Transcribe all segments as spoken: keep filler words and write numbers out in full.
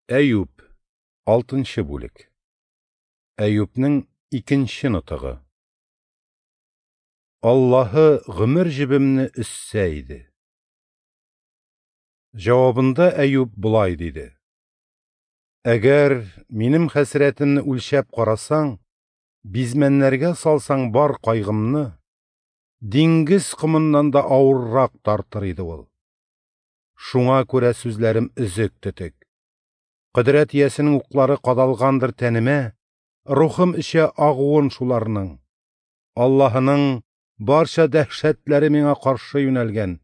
Әюп, алтынчы бүлек. Әюпнең икенче нотыгы. Аллаһы гомер җебемне өзсә иде. Җавабында Әюп болай диде: Әгәр минем хәсрәтемне үлчәп карасаң, бизмәннәргә салсаң бар кайгымны, диңгез комыннан да авыррак тартыр иде ул. Шуңа күрә сүзләрем өзек-төтек. Кодрәт иясенең уклары кадалгандыр тәнемә, рухым эчә агуын шуларның. Аллаһының барча дәһшәтләре миңа каршы юнәлгән.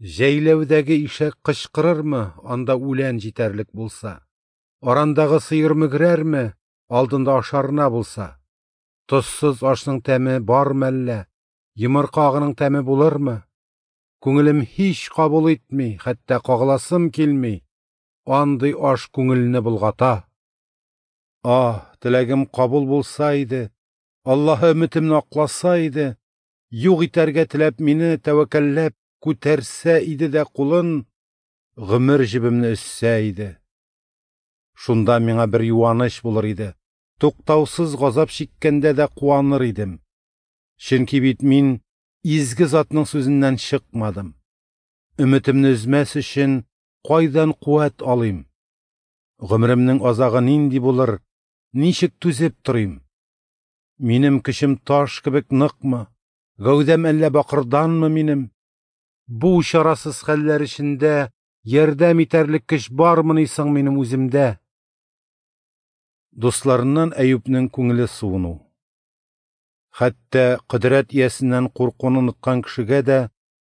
Җәйләүдәге ишәк кычкырырмы, анда үлән җитәрлек булса? Арандагы сыер мөгрәрме, алдында ашарына булса? Тозсыз ашның тәме бар мәллә, йомырка агының тәме булырмы? Күңелем һич кабул итми, хәтта кагыласым килми. Андый аш күңелне болгата. Аһ, теләгем кабул булса иде, Аллаһы өметемне акласа иде, юк итәргә теләп мине тәвәккәлләп күтәрсә иде дә кулын, гомер җебемне өзсә иде. Шунда миңа бер юаныч булыр иде, туктаусыз газап чиккәндә дә куаныр идем. Чөнки бит мин изге затның сүзеннән чыкмадым. Өметемне өзмәс өчен кайдан куәт алыйм? Гомеремнең азагы нинди булыр, ничек түзеп торыйм? Минем көчем таш кебек ныкмы, гәүдәм әллә бакырданмы минем? Бу чарасыз хәлләр эчендә ярдәм итәрлек көч бармыни соң минем үземдә? Дусларыннан Әюпнең күңеле суыну. Хәтта кодрәт иясеннән куркуны оныткан кешегә дә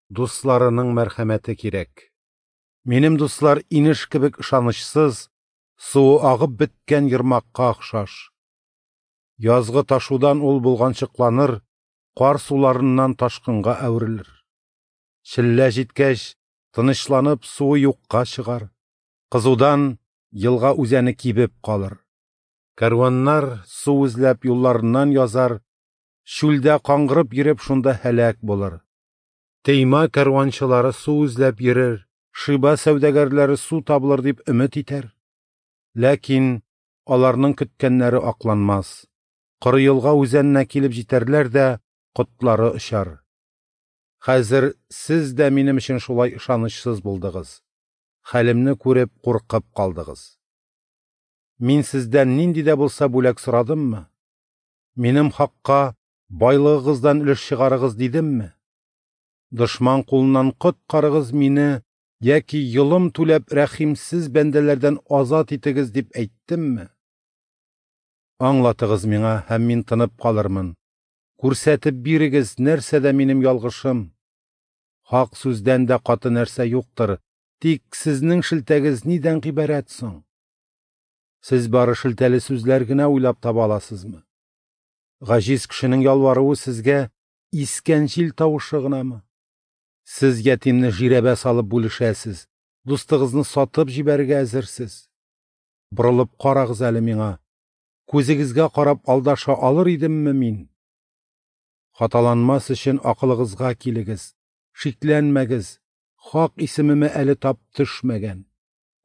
дусларының мәрхәмәте кирәк. Минем дуслар инеш кебек ышанычсыз, суы агып беткән ермакка охшаш. Язгы ташудан ул булганчыкланыр, кар суларыннан ташкынга әверелер. Челлә җиткәч, тынычланып суы юкка чыгар. Кызудан елга үзәне кибеп калыр. Кәрваннар су эзләп юлларыннан язар, чүлдә каңгырып йөреп шунда һәлак булыр. Тейма кәрванчылары су эзләп йөрер, Шиба сәүдәгәрләре су табылыр дип өмет итәр. Ләкин аларның көткәннәре акланмас. Коры елга үзәненә килеп җитәрләр дә котлары очар. Хәзер сез дә минем өчен шулай ышанычсыз булдыгыз. Хәлемне күреп куркып калдыгыз. Мин сездән нинди дә булса бүләк сорадыммы? Минем хакка байлыгыгыздан өлеш чыгарыгыз дидемме? Дошман кулыннан коткарыгыз мине яки йолым түләп рәхимсез бәндәләрдән азат итегез дип әйттемме? Аңлатыгыз миңа, һәм мин тынып калырмын. Күрсәтеп бирегез, нәрсәдә минем ялгышым? Хак сүздән дә каты нәрсә юктыр, тик сезнең шелтәгез нидән гыйбарәт соң? Сез бары шелтәле сүзләр генә уйлап таба аласызмы? Гаҗиз кешенең ялваруы сезгә искән җил тавышы гынамы? Сез ятимне жирәбә салып бүлешәсез, дустыгызны сатып җибәрергә әзерсез. Борылып карагыз әле миңа. Күзегезгә карап алдаша алыр идемме мин? Хаталанмас өчен акылыгызга килегез, шикләнмәгез, хак исемемә әле тап төшмәгән.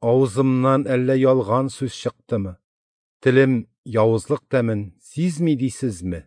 Авызымнан әллә ялган сүз чыктымы? Телем явызлык тәмен сизми дисезме?